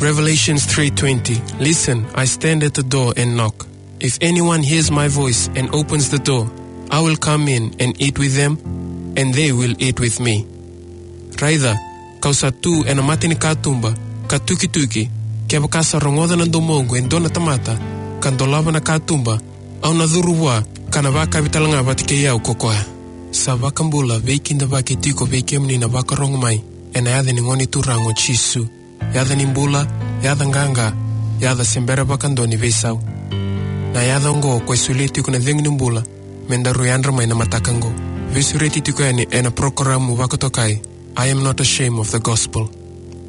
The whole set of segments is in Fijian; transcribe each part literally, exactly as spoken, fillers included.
Revelations three twenty. "Listen, I stand at the door and knock. If anyone hears my voice and opens the door, I will come in and eat with them, and they will eat with me." Raica, kau sa tu ena mata ni katuba, ka tukituki, kevaka sa rogoca na domoqu e dua na tamata, ka dolava na katuba, au na curu vua, ka na vakavi talega vata kei au ko koya. Sa vakabula, veikidavaki tiko vei kemuni na vakarogo mai, ena yaca ni Gone Turaga o Jisu. Yaca ni bula, yaca qaqa, yaca se bera vakadua ni veisau. Na yaca oqo ko e solia tiko na cegu ni bula, me daru yadra mai na mataka oqo. Veisureti tiko yani ena porokaramu vakatokai, I Am Not Ashamed of the Gospel.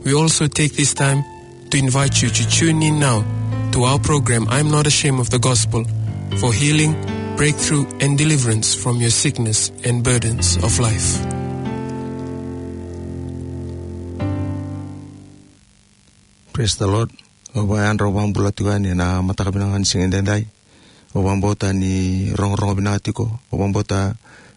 We also take this time to invite you to tune in now to our program, I Am Not Ashamed of the Gospel, for healing, breakthrough, and deliverance from your sickness and burdens of life. Praise the Lord. Au vakayadra, au vakabula tiko yani ena mataka vinaka ni siga edaidai. Au vakabauta ni rogorogo vinaka tiko. Au vakabauta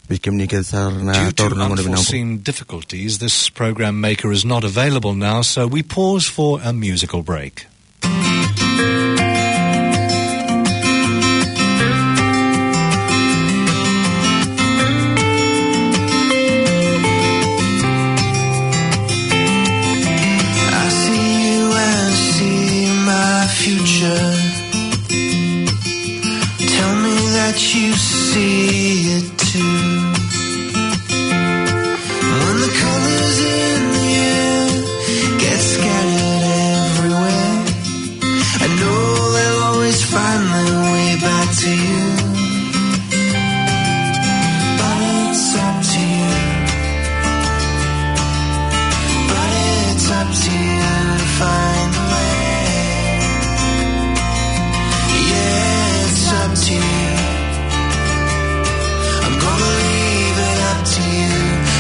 vei kemuni kece sara na taura na gauna vinaka. Due to unforeseen difficulties, this program maker is not available now, so we pause for a musical break. I see you and see my future. Tell me that you see it too. When the colors in the air get scattered everywhere, I know they'll always find their way back to you. But it's up to you. But it's up to you to find a way. Yeah, it's up to you. I'm gonna leave it up to you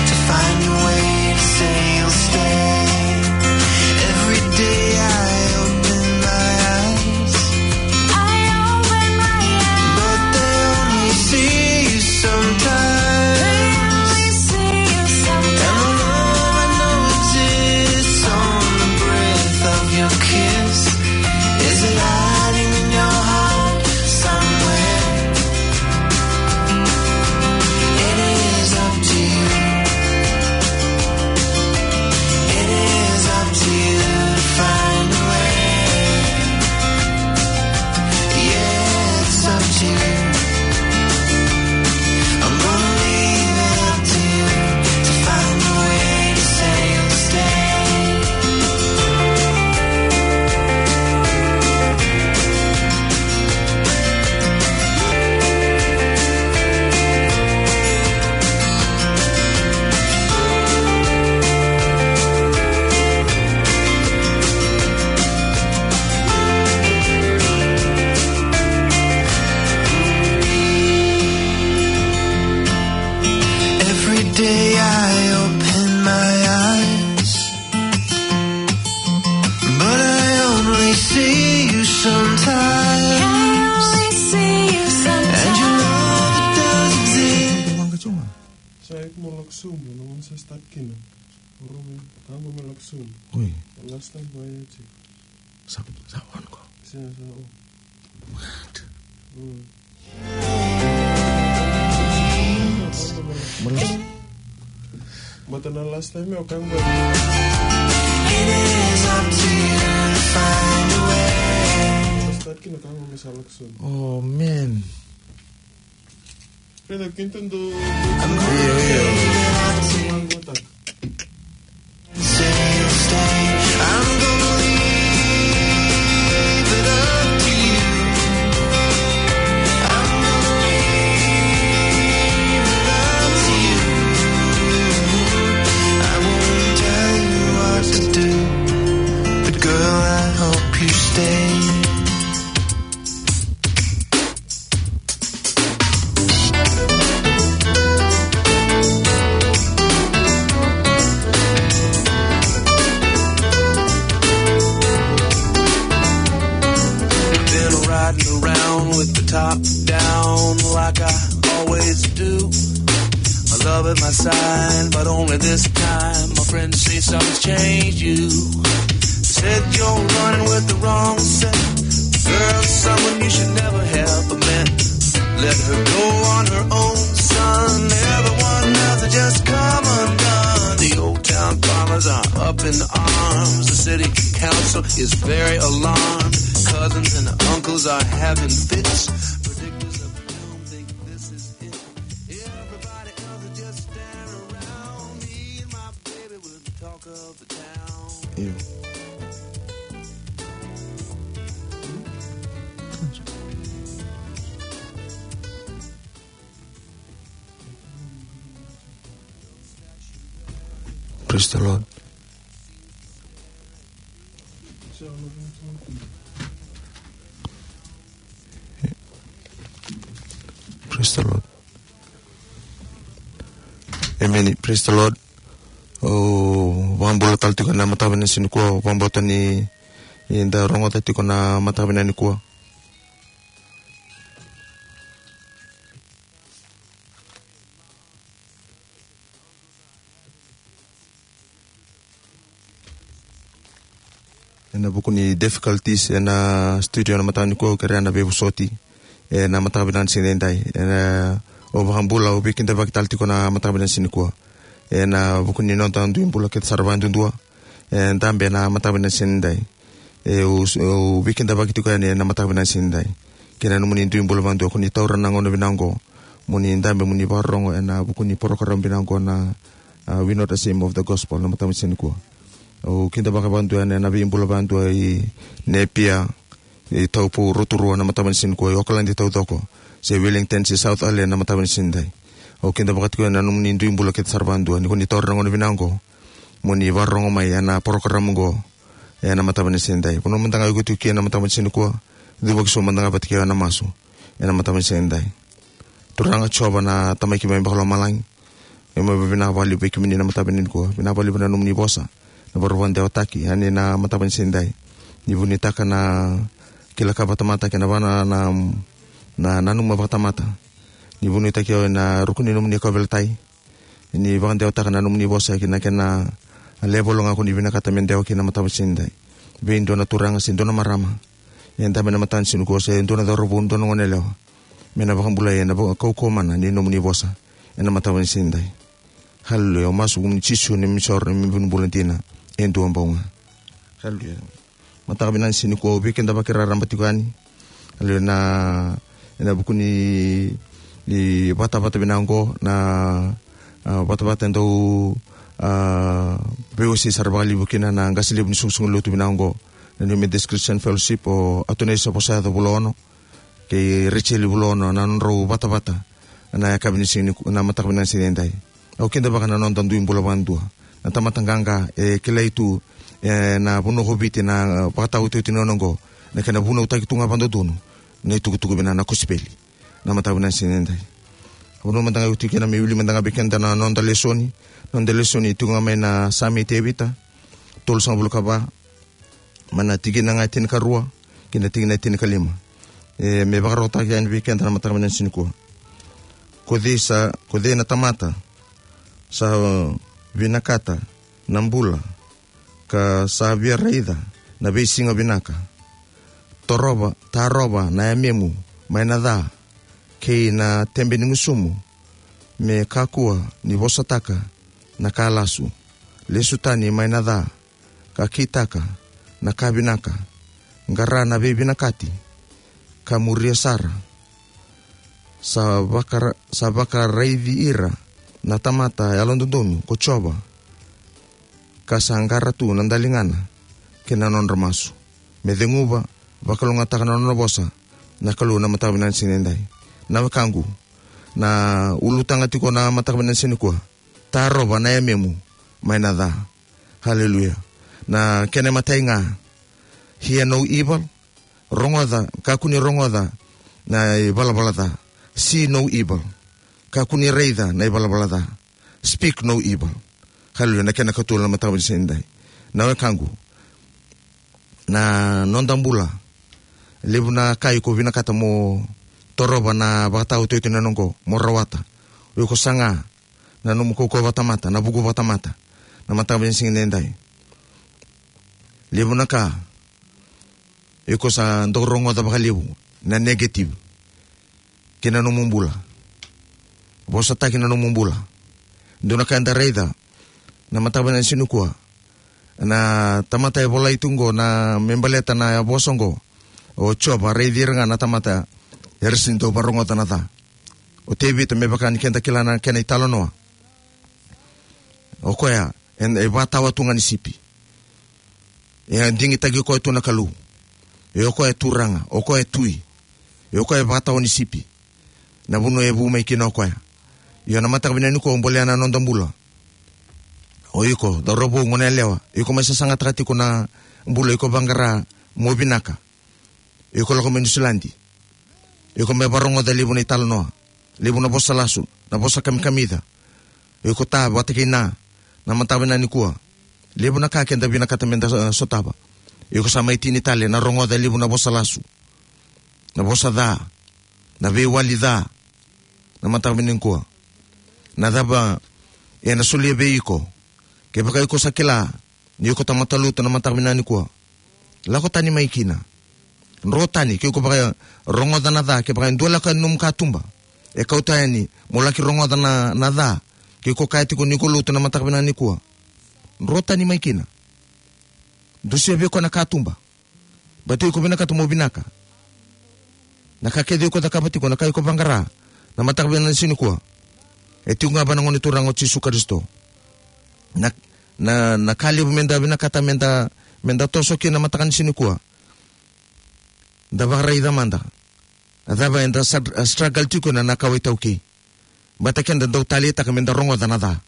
to find a way to say you'll stay. Every day I open my eyes, I open my eyes, but they only see you sometimes. They only see you sometimes. And the love I know exists on the breath of your kiss. Is it hiding in your heart somewhere? It is up to you. It is up to you to find a way. Yeah, it's up to you. I'm gonna leave it up to you to find a way to say you'll stay. Every day I open my eyes, but I only see you sometimes. I only see you sometimes. And your love, it does exist. Sa iko mo lako sobu, na gauna sa start kina. Oro me, ka qo me lako sobu. Oi. Last time ba ya tiko. Sa, sa on ko. Sa, sa on. What? Mm. Baleta na last time o kaya qo. It is up to you to find a way. Start kina ka qo me sa lako sobu. Oh, man. Io, io. Been riding around with the top down like I always do. My love at my side, but only this time. My friends say something's changed you. It's Said you're running with the wrong set. Girl, someone you should never have met. Let her go on her own, son. Everyone else will just come undone. The old town farmers are up in arms. The city council is very alarmed. Cousins and uncles are having fits. Predictors of doom think this is it. Everybody else will just stand around. Me and my baby will talk of the town. Praise the Lord. Praise the Lord. Amen. Praise the Lord. O vakabula tale tiko na mataka vinaka ni siga nikua, vakabauta ni da rogoca tiko na mataka vinaka nikua. Ena vuku ni difficulties ena studio na mataka nikua, au kerea na veivosoti ena mataka vinaka ni siga nidai. Ena, o vakabula, au veikidavaki tale tiko na mataka vinaka ni siga nikua. Ena vuku ni noda dui bula kece sara vakadudua. E dabe na mataka vinaka ni siga nidai. E, au, au veikidavaki tiko yani ena mataka vinaka ni siga nidai. Kei na nomuni dui bula vakadua, ko ni taura na gauna vinaka oqo mo ni dabe mo ni vakarorogo ena vuku ni porokaramu vinaka oqo na, a, We Not Ashamed of the Gospel na mataka vinaka ni siga nikua. Au kidavaka vakadua yani ena veibula vakadua i Napier, i Taupo, Rotorua na mataka vinaka ni siga nikua, i Okaladi taucoko, se Wellington, se South Island na mataka vinaka ni siga nidai. Au kidavaka tiko yani na nomuni dui bula kece sara vakadua, ni ko ni taura na gauna vinaka oqo mo ni vakarorogo mai ena porokaramu oqo ena mataka vinaka ni siga nidai. Vanua mada ga o iko tiko kina na mataka vinaka ni siga nikua, cuva ki so mada ga vata kei au ena masu ena mataka vinaka ni siga nidai. Turaga Jiova na Tamai keimami vakalomalagi, keimami vakavinavinaka vakalevu vei kemuni na mataka vinaka nikua. Vinaka vakalevu na nomuni vosa na vakarau vakadewataki yani na mataka vinaka ni siga nidai. Ni vunitaka na kila ka vakatamata kei na vaka na, na, na nanuma vakatamata. Ni vunitaki au ena ruku ni nomuni kauveilatai. Ni vakadewataka na nomuni vosa ki na kena level ga ko ni vinakata me dewa kina na mataka vinaka ni siga nidai. Vei dua na turaga se dua na marama e dabe ena mataka ni siga nikua, se dua na cauravou, dua na goneyalewa, me na vakabulai ena vaka-, kaukauwa mana ni nomuni vosa ena mataka vinaka ni siga nidai. Haleluya. Au masu vei kemuni Jisu, neimami isoro, neimami vunibula dina e dua bau ga. Haleluya. Mataka vinaka ni siga nikua au veikidavaki raraba tiko yani. Haleluya. Na, ena vuku ni, ni vatavata vinaka oqo, na, a, vatavata e dau, a, veiwasei sara vakalevu kina na qase levu ni soqosoqo lotu vinaka oqo, na New Methodist Christian Fellowship, o Atonisa Vosayaco Vulaono kei Rachel Vulaono, na nodrau vatavata na yakavi ni siga ni, na mataka vinaka ni siga nidai. Au kidavaka na noda dui bula vakadua, na tamata qaqa e kilai tu ena vanua ko Viti na, e, vakataotioti ni gauna oqo, na kena vunautaki tu ga vakadodonu na itukutuku vinaka, na kosipeli, na mataka vinaka ni siga nidai. Vanua mada ga o iko tiko kina, me wili mada ga vei keda na noda lesoni. Noda lesoni e tiko ga mai na Same i Tevita tolusagavulu ka va, mai na tikina ga e tinikarua ki na tikina e tinikalima. E, me vakarautaki yani vei keda na mataka vinaka ni siga nikua. Ko cei sa, ko cei na tamata sa vinakata na bula, ka sa via raica na veisiga vinaka? Torova, tarova na yamemu mai na ca kei na tebe ni gusumu, me kakua ni vosataka na ka lasu. Lesu tani mai na ca, ka kitaka na ka vinaka, qara na veivinakati, ka muria sara. Sa vakara-, sa vakaraici ira na tamata yalododonu ko Jiova, ka sa qara tu na daligana kei na nodra masu. Me ceguva, vakalougatataka na nona vosa na Kalou na mataka vinaka ni siga nidai. Na wekaqu, na ulutaga tiko na mataka vinaka ni siga nikua, tarova na yamemu mai na ca. Haleluya. Na kena imatai ga, hear no evil. Rogoca, kakua ni rogoca na ivalavala ca. See no evil. Kakua ni raica na ivalavala ca. Speak no evil. Haleluya. Na kena ikatolu na mataka ni siga nidai. Na wekaqu, na noda bula, levu na ka iko vinakata mo torova na vakataotioti ni gauna oqo, mo rawata. O iko saga na nomu kaukauwa vakatamata, na vuku vakatamata, na mataka ni siga nidai. Levu na ka iko sa dau rogoca vakalevu na negative kei na nomu bula. Vosataki na nomu bula. Dua na ka eda raica na mataka vinaka ni siga nikua, na tamata e volai tu qo na me baleta na vosa qo. O Jiova, raici ira ga na tamata era sega ni dau varogoca na ca. O Tevita, me vaka ni keda kila na kena italanoa, o koya e, e vatawa tu ga ni sipi. E a digitaki koya tu na Kalou. E o koya e turaga, o koya e tui. E o koya e vatawa ni sipi. Na vanua e vu mai kina o koya. Io, na mataka vinaka nikua, bolea na noda bula. O iko, cauravou, goneyalewa, iko mai sasagataka tiko na bula, iko vaqara mo vinaka. Iko lako mai Niusiladi. Iko mai varogoca levu na italanoa, levu na vosa lasu, na vosa kamikamica. Iko ta vata kei na, na mataka vinaka nikua, levu na ka keda vinakata meda, eh, sotava. Iko sa mai tini tale na rogoca levu na vosa lasu, na vosa ca, na veiwali ca. Na mataka vinaka nikua, na cava ena solia vei iko? Kevaka iko sa kila ni iko tamata lotu na mataka vinaka nikua, lako tani mai kina. Dro tani, ke iko vakarogoca na ca, kevaka e dua lako yani nomu katuba e kauta yani mo laki rogoca na, na ca, ke iko kaya tiko ni ko lotu na mataka vinaka nikua, dro tani mai kina. Dusia vei koya na katuba. Baleta iko vinakata mo vinaka. Na ka kece iko cakava tiko, na ka iko vaqara na mataka vinaka ni siga nikua, e tiko ga vua na Gone Turaga o Jisu Karisito. Na, na, na ka levu meda vinakata meda, meda toso kina na mataka ni siga nikua, da vakaraica mada. A cava eda sa, a struggle tiko na, na kawa iTaukei? Baleta keda dau taleitaka meda rogoca na ca.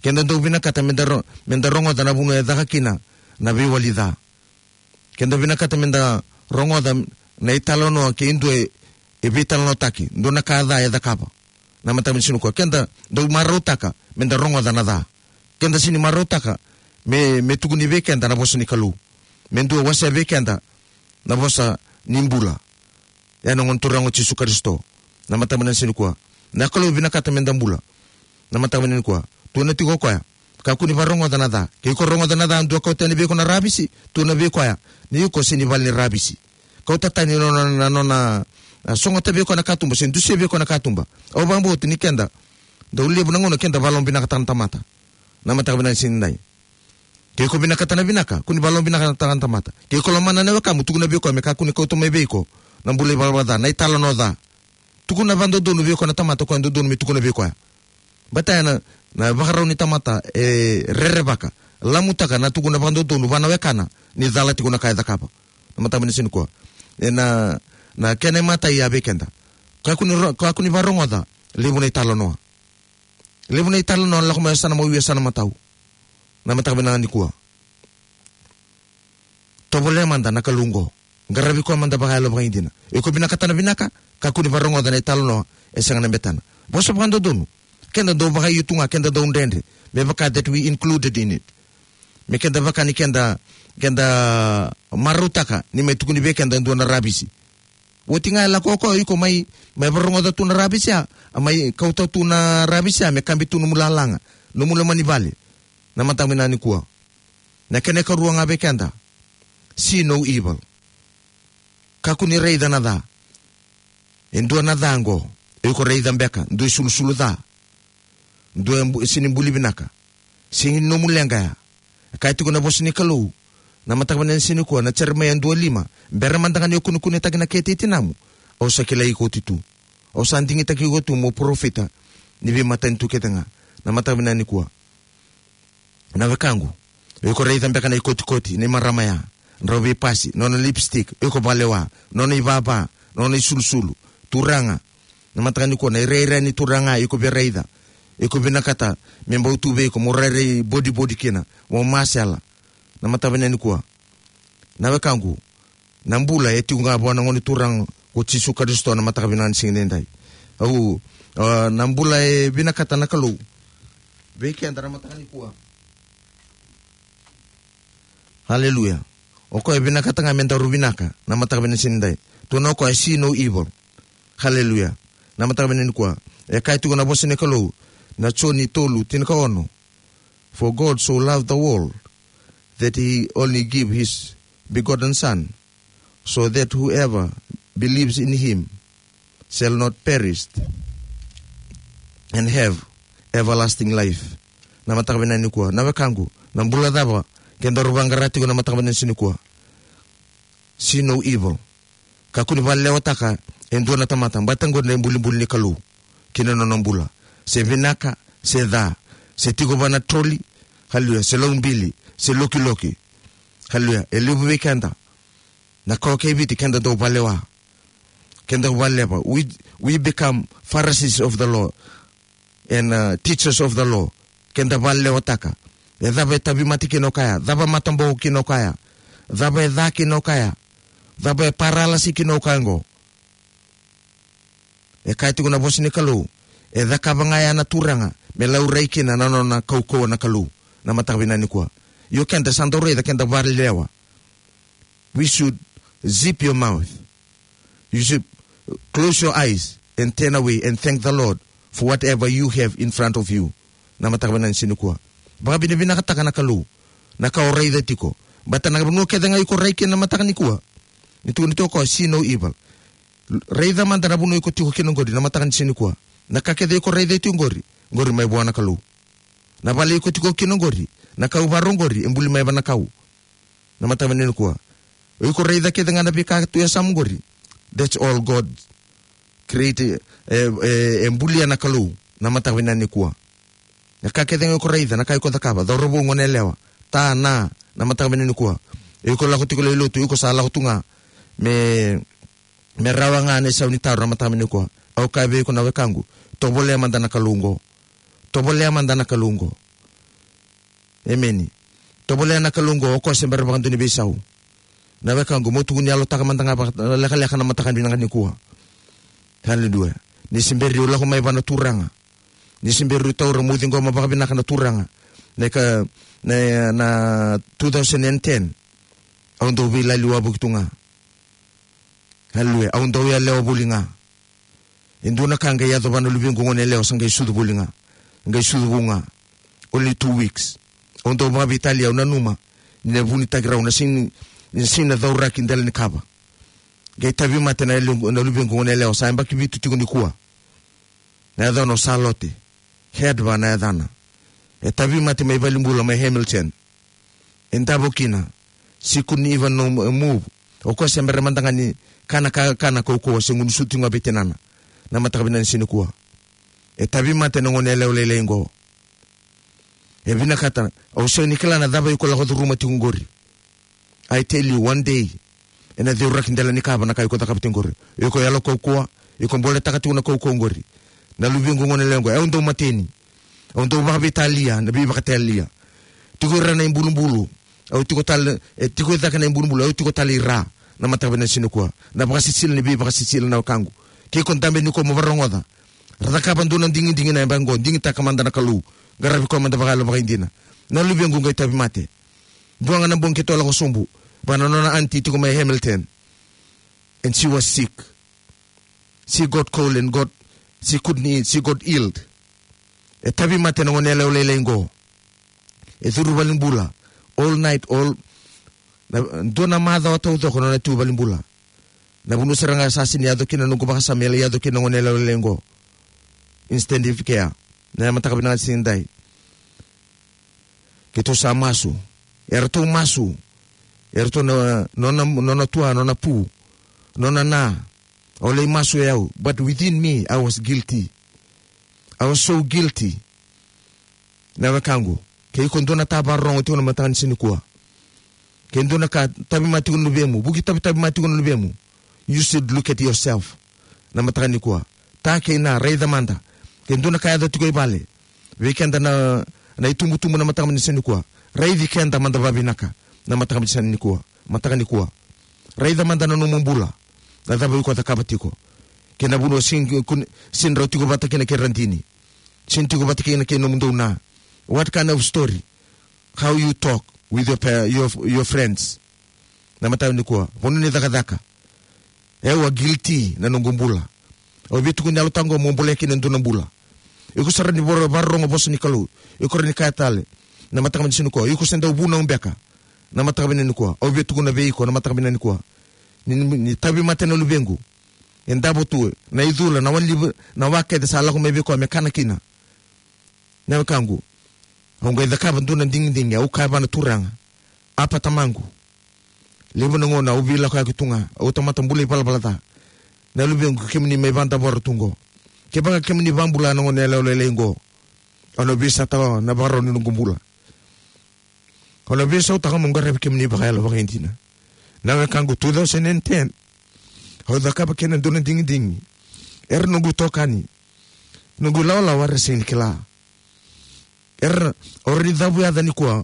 Keda dau vinakata meda ro-, meda rogoca na vanua e caka kina na veiwali ca. Keda vinakata meda rogoca na italanoa kei dua e, e veitalanoataki, dua na ka ca e cakava. Na mataka ni siga nikua, keda dau marautaka meda rogoca na ca. Keda sega ni marautaka me, me tukuni vei keda na vosa ni Kalou, me dua wasea vei keda na vosa ni bula. Ya na Gone Turaga o Jisu Karisito. Na mataka vinaka ni siga nikua, na Kalou vinakata meda bula. Na mataka vinaka nikua, tukuna tiko o koya, kakua ni varogoca na ca. Ke iko rogoca na ca, dua kauta yani vei iko na ravisi, tukuna vei koya ni iko sega ni vale ni ravisi. Kauta tani na nona, na nona, a, sogota vei koya na katuba se dusia vei koya na katuba. Au vakabauta ni keda dau levu na gauna keda vakalomavinakataka na tamata. Na mataka vinaka ni siga nidai, ke iko vinakata na vinaka, kua ni vakalomavinakataka na tamata. Ke iko lomana na wekamu, tukuna vei koya me kakua ni kauta mai vei iko na bula ivalavala ca, na italanoa ca. Tukuna vakadodonu vei koya na tamata o koya dodonu me tukuna vei koya. Baleta ya na, na ivakarau ni tamata e rerevaka, lamutaka na tukuna vakadodonu vua na wekana ni cala tiko na ka e cakava. Na mataka vinaka ni siga nikua, ena, na kena imatai ya vei keda, kakua ni ro-, kakua ni varogoca levu na italanoa. Levu na italanoa lako mai yasana mau, yasana matau. Na mataka vinaka nikua, tovolea mada na Kalou oqo. Qaravi koya mada vakayalo vakaidina. Iko vinakata na vinaka, kakua ni varogoca na italanoa e sega na betena. Vosa vakadodonu, keda dau vakaio tu ga, keda dau dredre, me vaka that we included in it. Me keda vaka ni keda, keda marautaka ni mai tukuni vei keda e dua na ravisi. Oti ga e lako o koya, iko mai, mai varogoca tu na ravisi ya, a mai kauta tu na ravisi ya me kabi tu nomu lalaga, nomu loma ni vale. Na mataka vinaka nikua, na kena ikarua ga vei keda, see no evil. Kakua ni raica na ca. E dua na ca oqo, iko raica beka dua isulusulu ca, dua e bu-, sega ni buli vinaka, sega ni nomu leqa ya. E kaya tiko na vosa ni Kalou, na mataka vinaka ni siga nikua, na Jeremaia dua lima, bera mada ga ni o kunekunetaki na kete i tinamu, au sa kilai iko oti tu. Au sa digitaki iko tu mo parofita ni veimatanitu kece ga. Na mataka vinaka nikua, na wekaqu, iko raica beka na ikotikoti ni marama ya, drau veipasi, nona lipstick, iko vakalewa, nona ivava, nona isulusulu. Turaga, na mataka nikua, na irairai ni turaga iko via raica, iko vinakata me bau tu vei iko, mo rairai bodibodi kina, mo masela. Na mataka vinaka nikua, na wekaqu, na bula e tiko ga vua na Gone Turaga ko Jisu Karisito, na mataka vinaka ni siga nidai. Au, a, na bula e vinakata na Kalou vei keda na mataka nikua. Haleluya. O koya e vinakata ga me daru vinaka na mataka vinaka ni siga nidai. Tukuna o koya, see no evil. Haleluya. Na mataka vinaka nikua, e kaya tiko na vosa ni Kalou, na Joni tolu tinikaono. For God so loved the world that he only give his begotten Son, so that whoever believes in him shall not perish and have everlasting life. Na mataka vinaka nikua, na wekaqu, na bula cava kedaru vaqara tiko na mataka vinaka nikua? See no evil. Kakua ni vakalewataka e dua na tamata, baleta qori na ibulibuli ni Kalou ki na nona bula. Se vinaka, se ca, se tiko vua na troli, haleluya, se laubili, se lokiloki, haleluya. E levu vei keda na kawa kei Viti, keda dau vakalewa, keda vakaleva. We, we become Pharisees of the law and, uh, teachers of the law. Keda vakalewataka. E cava e tauvimate kina o koya, cava e mataboko kina o koya, cava e ca kina o koya, cava e paralasi kina o koya oqo. E kaya tiko na vosa ni Kalou, e cakava ga ya na Turaga me laurai kina na nona kaukauwa na Kalou. Na mataka vinaka nikua, io keda sa dau raica, keda vakalelewa. We should zip your mouth. You should close your eyes and turn away and thank the Lord for whatever you have in front of you. Na mataka vinaka nikua, vakavinavinakataka na Kalou na ka o raica tiko. Baleta na vanua kece ga iko rai kina na mataka nikua, ni tukuni tiko o koya, see no evil. Raica mada na vanua iko tiko kina oqori na mataka nikua. Na ka kece iko raica tiko oqori, oqori mai vua na Kalou. Na vale iko tiko kina oqori, na kau varo oqori, e buli mai vua na Kalou. Na mataka vinaka nikua, o iko raica kece ga na veika tu e yasamu oqori, that's all God create, e, e, e bulia na Kalou. Na mataka vinaka nikua, na ka kece ga iko raica, na ka iko cakava, cauravou, goneyalewa, ta, na, na mataka vinaka nikua, iko lako tiko lai lotu, iko sa lako tu ga me, me rawa ga na isau ni taro. Na mataka vinaka nikua, au kaya vei iko na wekaqu, tovolea mada na Kalou oqo. Tovolea mada na Kalou oqo. Emeni. Tovolea na Kalou oqo, o koya se bera vakadua ni veisau. Na wekaqu, mo tukuni yalotaka mada ga vakalekaleka na mataka vinaka nikua. Haleluya. Ni se bera ni o lako mai vua na Turaga, ni se bera ni o taura mo ciqoma vakavinaka na Turaga. Na ka, na, na two thousand and ten, au dau veilali wavoki tu ga. Haleluya. Au dau yalewa voli ga. E dua na ka qai yaco vua na luvequ goneyalewa, sa qai sucu voli ga, qai sucu vou ga. Only two weeks. Au dau vakaveitalia, au nanuma ni na vunitaki rau na sega ni, ni sega ni cauraki dela ni kava. Qai tauvimate na lu-, na luvequ goneyalewa, sa yabaki vitu tiko nikua. Na yacana o Salote. Hedva na yacana. E tauvimate mai valenibula mai Hamilton. E davo kina. She couldn't even no move. O koya se bera mada ga ni kana ka, kana kaukauwa, se gunu suti ga vei tinana. Na mataka vinaka nikua, e tauvimate na goneyalewa lailai oqo. E vinakata, au sega ni kila na cava iko lako curuma tiko oqori. I tell you, one day ena cauraki dela ni kava na ka iko cakava tiko oqori. Iko yalo kaukauwa, iko boletaka tiko na kaukauwa oqori. Na luvequ goneyalewa oqo, au dau mateni. Au dau vakaveitalia, na veivakaitalia. Tiko i ra na ibulubulu, au tiko tale, e tiko i cake na ibulubulu, au tiko tale i ra. Na mataka vinaka nikua, na vakasisila ni veivakasisila, na wekaqu. Ke iko dabe nikua mo vakarogoca, ra cakava dua na digidigi na yabaki oqo, digitaka mada na Kalou. Qaravi koya mada vakayalo vakaidina. Na luvequ qai tauvimate. Dua ga na bogi keitou lako sobu vua na nona aunty tiko mai Hamilton. And she was sick. She got cold and got, she couldn't eat, she got ill. E tauvimate na goneyalewa lailai oqo. E curu valenibula all night, all, na, dua na macawa taucoko na nona tu valenibula. Na vanua sara ga sa sega ni yaco kina na noqu vakasama, e lai yaco kina na goneyalewa lailai oqo. Intensive care. Na mataka vinaka nikua, keitou sa masu. Eratou masu. Eratou na, nona, nona tua, nona pu, nona na. Au lai masu e au. But within me, I was guilty. I was so guilty. Na wekaqu, ke iko dua na tavarogo tiko na mataka nikua, ke dua na ka tauvimate tiko na luvemu, vuki tauvimate tiko na luvemu, you should look at yourself. Na mataka nikua, ta kei na, raica mada. Ke dua na ka yaco tiko i vale vei keda na, na itubutubu na mataka nikua, raici keda mada vakavinaka. Na mataka nikua, mataka nikua, raica mada na nomu bula. Na cava iko cakava tiko? Kei na vanua sega ni, sega ni rau tiko vata kina kei radini, sega ni tiko vata kina kei nomudou na. What kind of story? How you talk with your pa-, your, your friends? Na mataka nikua, vanua ni cakacaka. E, au a guilty na noqu bula. Au via tukuni yalo taqo mo bolea kina e dua na bula. Iko sara ni voro-, vakarorogo vosa ni Kalou, iko rawa ni kaya tale. Na mataka nikua, iko se dau vunau beka. Na mataka vinaka nikua, au via tukuna vei iko na mataka vinaka nikua. Ni, ni, ni tauvimate na luvequ. E davo tu na icula, na wali, na wa kece sa lako mai vei koya me kana kina. Na wekaqu, au qai cakava dua na digidigi, au kaya vua na Turaga, Apa Tamaqu, levu na gauna au veilakoyaki tu ga, au tamata bula ivalavala ca. Na luvequ, kemuni mai vadavora tu qo, kevaka kemuni vabula na gone yalewa lailai qo, au na veisautaka na vakarau ni noqu bula. Au na veisautaka meu qaravi kemuni vakayalo vakaidina. Na wekaqu, two thousand and ten, au cakava kina dua na digidigi. Era noqu itokani, noqu ilawalawa era sega ni kila. Era, au rawa ni cavu yaca nikua,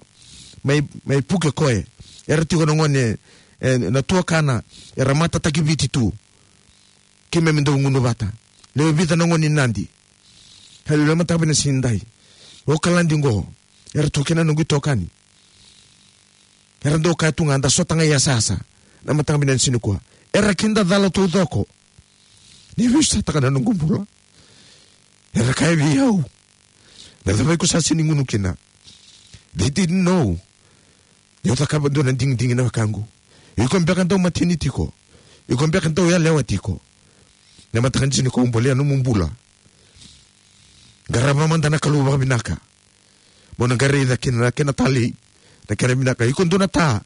mai, mai Pukekohe. Era tiko na gone, e, na tuakana, era matataki Viti tu. Keimami dau gunu vata. Lewe vica na gone ni Nadi. Haleluya, mataka vinaka ni siga nidai. O Kaladi qo, era tu kina noqu itokani. Era dau kaya tu ga, da sota ga i yasayasa. Na mataka vinaka ni siga nikua, era kidacala taucoko. Ni veisautaka na noqu bula. Era kaya vei au, na cava iko sa sega ni gunu kina? They didn't know. Ni au cakava dua na digidigi, na wekaqu. Iko beka dau mateni tiko. Iko beka dau yalewa tiko. Na mataka ni siga nikua, au bolea nomu bula. Qarava mada na Kalou vakavinaka. Mo na qai raica kina na kena talei, na kena vinaka. Iko dua na ta.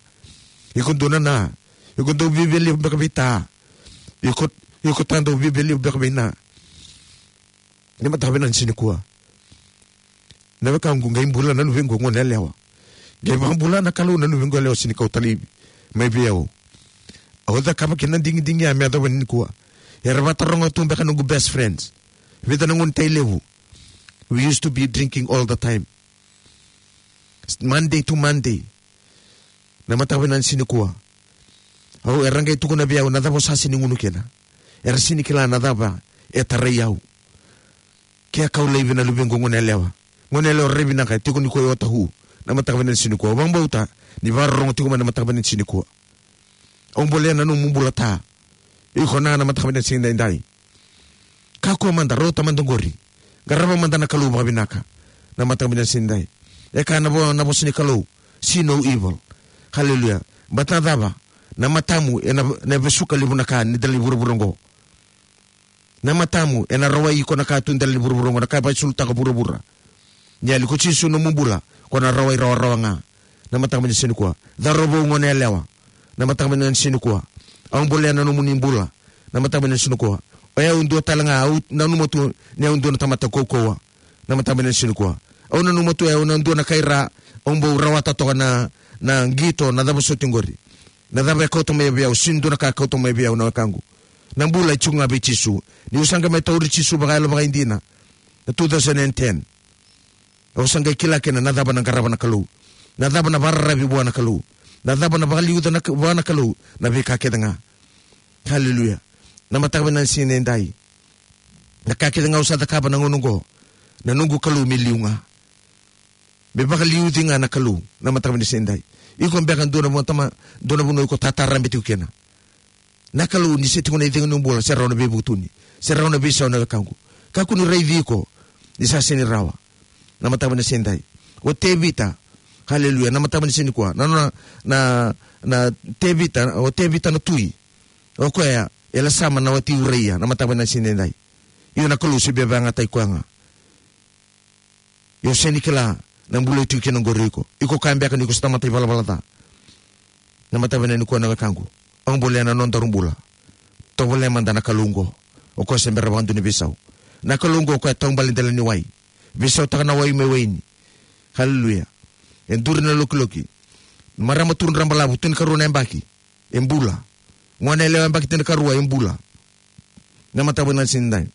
Iko dua na na. Iko dau viavia levu beka vei ta. Iko, iko ta dau viavia levu beka vei na. Na mataka vinaka ni siga nikua, na wekaqu, qai bula na luvequ gone yalewa. Qai vakabula na Kalou na luvequ yalewa, sega ni kau tale mai vei au. Au cakava kina na digidigi ya me yacova nikua. Era vataroga tu beka noqu best friends. Vica na gone tai levu. We used to be drinking all the time. Monday to Monday. Na mataka vinaka ni siga nikua, au, era qai tukuna vei au, na cava o sa sega ni gunu kina? Era sega ni kila na cava e tarai au. Ke a kau laivi na luvequ gone yalewa. Gone yalewa rairai vinaka, e tiko nikua e Otahu. Na mataka vinaka ni siga nikua, au vakabauta ni vakarorogo tiko mai na mataka vinaka ni siga nikua. Au bolea na nomu bula ta. Iko na, na mataka vinaka ni siga nidai. Kakua mada, rauta mada qori. Qarava mada na Kalou vakavinaka. Na mataka vinaka ni siga nidai. E kaya na vo-, na vosa ni Kalou, see no evil. Haleluya. Baleta na cava? Na matamu ena, na vesuka levu na ka ni dela ni vuravura oqo. Na matamu ena rawai iko na ka tu dela ni vuravura oqo, na ka e vakaisulutaka vuravura. Ni yali ko Jisu nomu bula, ko na rawai rawarawa ga. Na mataka vinaka ni siga nikua, cauravou, gone yalewa. Na mataka vinaka ni siga nikua, au bolea na nomuni bula. Na mataka vinaka ni siga nikua, o yau dua tale ga, au nanuma tu ni au dua na tamata kaukauwa. Na mataka vinaka ni siga nikua, au nanuma tu o yau na dua na kai ra, au bau rawata toka na, na qito, na cava soti qori. Na cava e kauta mai vei au? Sega ni dua na ka e kauta mai vei au, na wekaqu. Na bula e tiko ga vei Jisu. Niu sa qai mai tauri Jisu vakayalo vakaidina na two thousand and ten, au sa qai kila kina na cava na qarava na Kalou, na cava na vakararavi vua na Kalou, na cava na vakaliuca na, vua na Kalou na veika kece ga. Haleluya. Na mataka vinaka ni siga nidai, na ka kece ga au sa cakava na gauna oqo, na noqu Kalou me liu ga. Me vakaliuci ga na Kalou, na mataka vinaka ni siga nidai. Iko beka dua na vanua tama, dua na vanua iko tatarabe tiko kina. Na Kalou, ni se tiko na icegu ni bula, se rawa na veivutuni, se rawa na veisau, na wekaqu. Kakua ni raici iko ni sa sega ni rawa. Na mataka vinaka ni siga nidai, o Tevita, haleluya, na mataka vinaka ni siga nikua, na, na, na, na Tevita, o Tevita na tui. O koya e lasama na wati Uraia, na mataka vinaka ni siga nidai. Io, na Kalou se via vakayagataki koya ga. Io, sega ni kila na bula e tiko kina oqori o iko. Iko kaya beka ni ko sa tamata ivalavala ca. Na mataka vinaka nikua, na wekaqu, au bolea na nodaru bula. Tovolea mada na Kalou oqo. O koya se bera vakadua ni veisau. Na Kalou oqo, o koya e taubale dela ni wai. Veisautaka na wai me waini. Haleluya. E duri na lokiloki. Marama tu dra balavu, tinikarua na yabaki, e bula. Gone yalewa yabaki tinikarua, e bula. Na mataka vinaka ni siga nidai,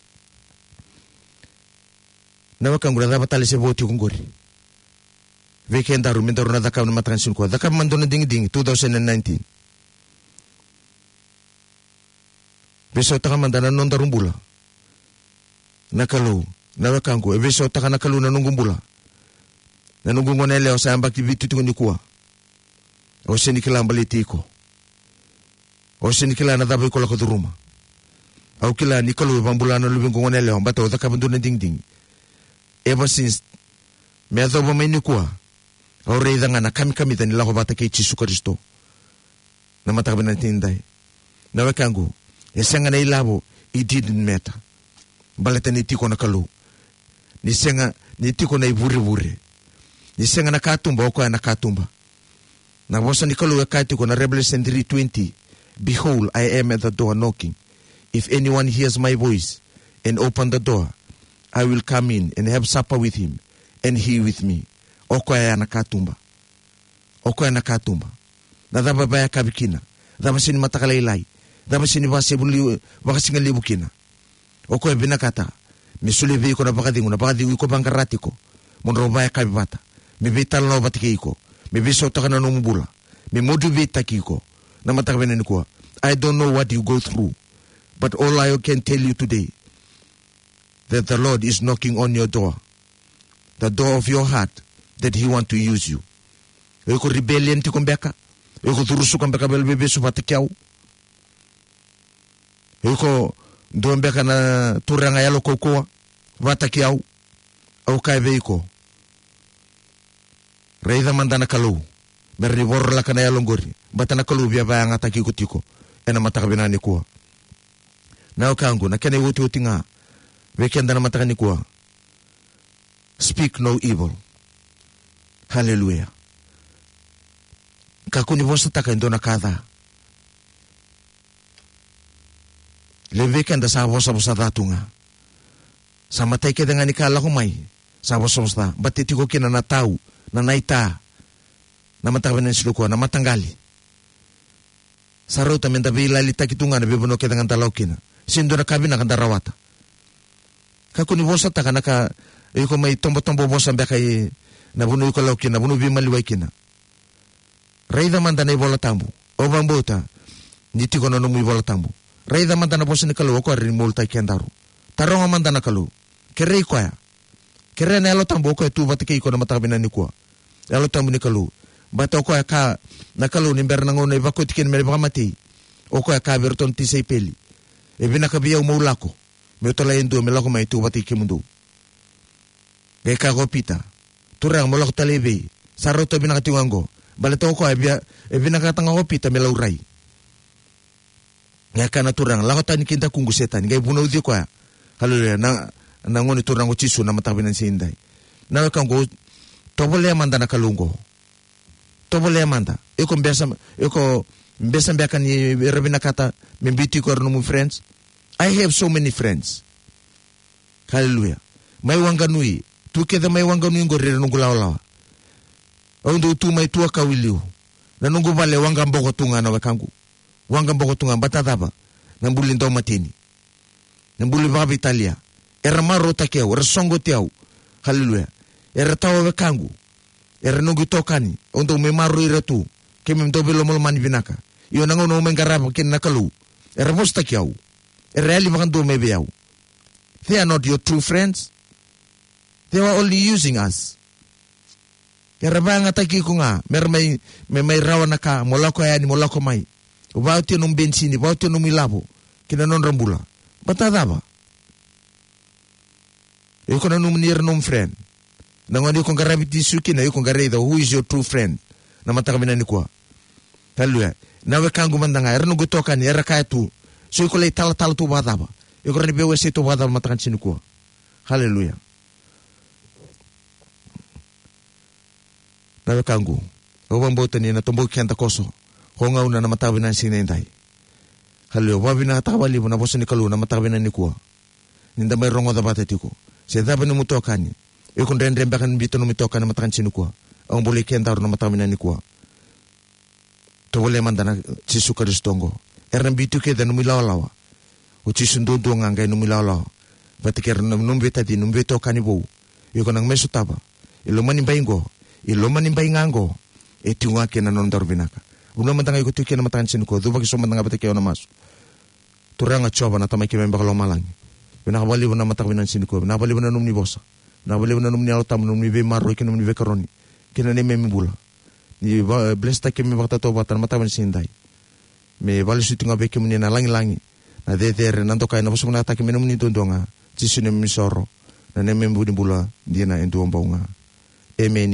na wekaqu, na cava tale se vo tiko oqori vei kedaru me daru na cakava na mataka ni siga nikua? Cakava mada dua na digidigi, two thousand and nineteen. Veisautaka mada na nodaru bula. Na Kalou, na wekaqu, e veisautaka na Kalou na noqu bula. Na noqu gone yalewa sa yabaki vitu tiko nikua. Au sega ni kila baleti iko. Au sega ni kila na cava iko lako curuma. Au kila ni Kalou e vakabula na luvequ gone yalewa, baleta au cakava dua na digidigi. Ever since, me yacova mai nikua, Au raica ga na kamikamica ni lako vata kei Jisu Karisito. Na mataka vinaka ni siga edai, na wekaqu, e sega na ilavo, it didn't matter. Baleta ni tiko na Kalou. Ni sega, ni tiko na ivurevure. Ni sega na katuba, o koya na katuba. Na vosa ni Kalou e kaya tiko na Revelation three twenty, "Behold, I am at the door knocking. If anyone hears my voice and open the door, I will come in and have supper with him and he with me." O koya ya na katuba. O koya na katuba. Na cava e vakayakavi kina? Cava sega ni mataka lailai? Cava sega ni vakasigalevu, vakasigalevu kina? O koya vinakata me solia vei iko na vakacegu, na vakacegu iko vaqara tiko, mo drau vakayakavi vata, me veitalanoa vata kei iko, me veisautaka na nomu bula, me motivatetaki iko. Na mataka vinaka nikua, I don't know what you go through, but all I can tell you today, that the Lord is knocking on your door, the door of your heart, that he want to use you. O iko rebellion tiko beka? O iko curusuka beka valevesu vata kei au? O iko dua beka na turaga yalo kaukauwa vata kei au? Au kaya vei iko, raica mada na Kalou, me rawa ni vorolaka na yalo qori, baleta na Kalou via vakayagataki iko tiko ena mataka vinaka nikua. Na wekaqu, na kena iotioti ga vei keda na mataka nikua, speak no evil. Haleluya. Kakua ni vosataka e dua na ka ca. Levu vei keda sa vosavosa ca tu ga. Sa matai kece ga ni ka lako mai, sa vosavosa ca. Baleta e tiko kina na tau, na naita, na mataka vinaka ni siga nikua, na mataqali. Sa rauta meda veilalitaki tu ga na veivanua kece ga da lako kina. Sega ni dua na ka vinaka da rawata. Kakua ni vosataka na ka, iko mai tobotobo vosa beka ena vanua iko lako kina, na vanua veimaliwai kina. Raica mada na iVola Tabu. Au vakabauta ni tiko na nomu iVola Tabu. Raica mada na vosa ni Kalou, o koya e rawa ni moulutaki kedaru. Taroga mada na Kalou. Kerei koya. Kerea na Yalo Tabu, o koya e tu vata kei iko na mataka vinaka nikua. Yalo Tabu ni Kalou. Baleta o koya e kaya na Kalou ni bera na gauna e vakoti kina me vakamatei, o koya e kaya vei iratou na tisaipeli, e vinaka vei au meu lako, meu talai e dua me lako mai tu vata kei kemudou. Qai kaya ko Pita, Turaga, mo lako tale i vei? Sa rauta vinaka tiko ga qo. Baleta o koya e via, e vinakata ga ko Pita me laurai. Qai kaya na Turaga, lako tani ki dakuqu Setani. Qai vunauci koya. Haleluya. Na, na Gone Turaga o Jisu na mataka vinaka ni siga edai. Na wekaqu, tovolea mada na Kalou qo. Tovolea mada. Iko besa, iko besa beka ni era vinakata me biuti iko era nomu friends. I have so many friends. Haleluya. Mai Wanganui. Tu kece mai Wanganui qori era noqu lawalawa. Au dau tu mai Tuakau i liu. Na noqu vale e waqaboko tu ga na wekaqu. Waqaboko tu ga, baleta cava? Na buli daumateni. Na buli vakaveitalia. Era marautaki au, era soqoti au. Haleluya. Era tawa wekaqu. Era noqu itokani. Au dau mai maroroi ira tu. Keimami dau veilomalomani vinaka. Io, na gauna au mai qarava kina na Kalou, era vosataki au. Era yali vakadua mai vei au. They are not your true friends. They were only using us. Era vakayagataki iko ga, mera mai, me mai rawa na ka, mo lako yani, mo lako mai. Vakaotia nomu benisini, vakaotia nomu ilavo ki na nodra bula. Baleta cava? Iko nanuma ni era nomu friend. Na gauna iko qaravi Jisu kina, iko qai raica who is your true friend. Na mataka vinaka nikua. Haleluya. Na wekaqu mada ga, era noqu itokani, era kaya tu, so iko lai talatala tu vakacava? Iko rawa ni veiwasei tu vakacava mataka ni siga nikua? Haleluya. Na wekaqu, au vakabauta ni na toboki keda koso ko gauna na mataka vinaka ni siga edai. Haleluya. Au vakavinavinakataka vakalevu na vosa ni Kalou na mataka vinaka nikua, ni da mai rogoca vata tiko. Se cava nomu itokani, iko dredre beka ni biuta nomu itokani na mataka ni siga nikua, au bolei kedaru na mataka vinaka nikua. Tovolea mada na Jisu Karisito qo. Era na biuti kece nomu ilawalawa. O Jisu duadua ga qai nomu ilawalawa. Vata kei ira na nomu veitacini, nomu veitokani vou. Iko na mai sotava. E loma ni bai qo, e loma ni bai ga qo, e tiko ga kina na nodaru vinaka. Vanua mada ga iko tiko kina na mataka ni siga nikua, cuva ki so mada ga vata kei au na masu. Turaga Jiova na Tamai keimami vakalomalagi, vinaka vakalevu na mataka vinaka ni siga nikua, vinaka vakalevu na nomuni vosa, vinaka vakalevu na nomuni Yalo Tabu, nomuni veimaroroi kei na nomuni veikaroni ki na neimami bula. Ni va-, bless-taki keimami vakatautauvata na mataka vinaka ni siga edai. Me vakalesui tu ga vei kemuni na lagilagi, na cecere, na dokai, na vosavosataki me nomuni duadua ga. Jisu neimami isoro, na neimami vu ni bula dina e dua bau ga. Emeni.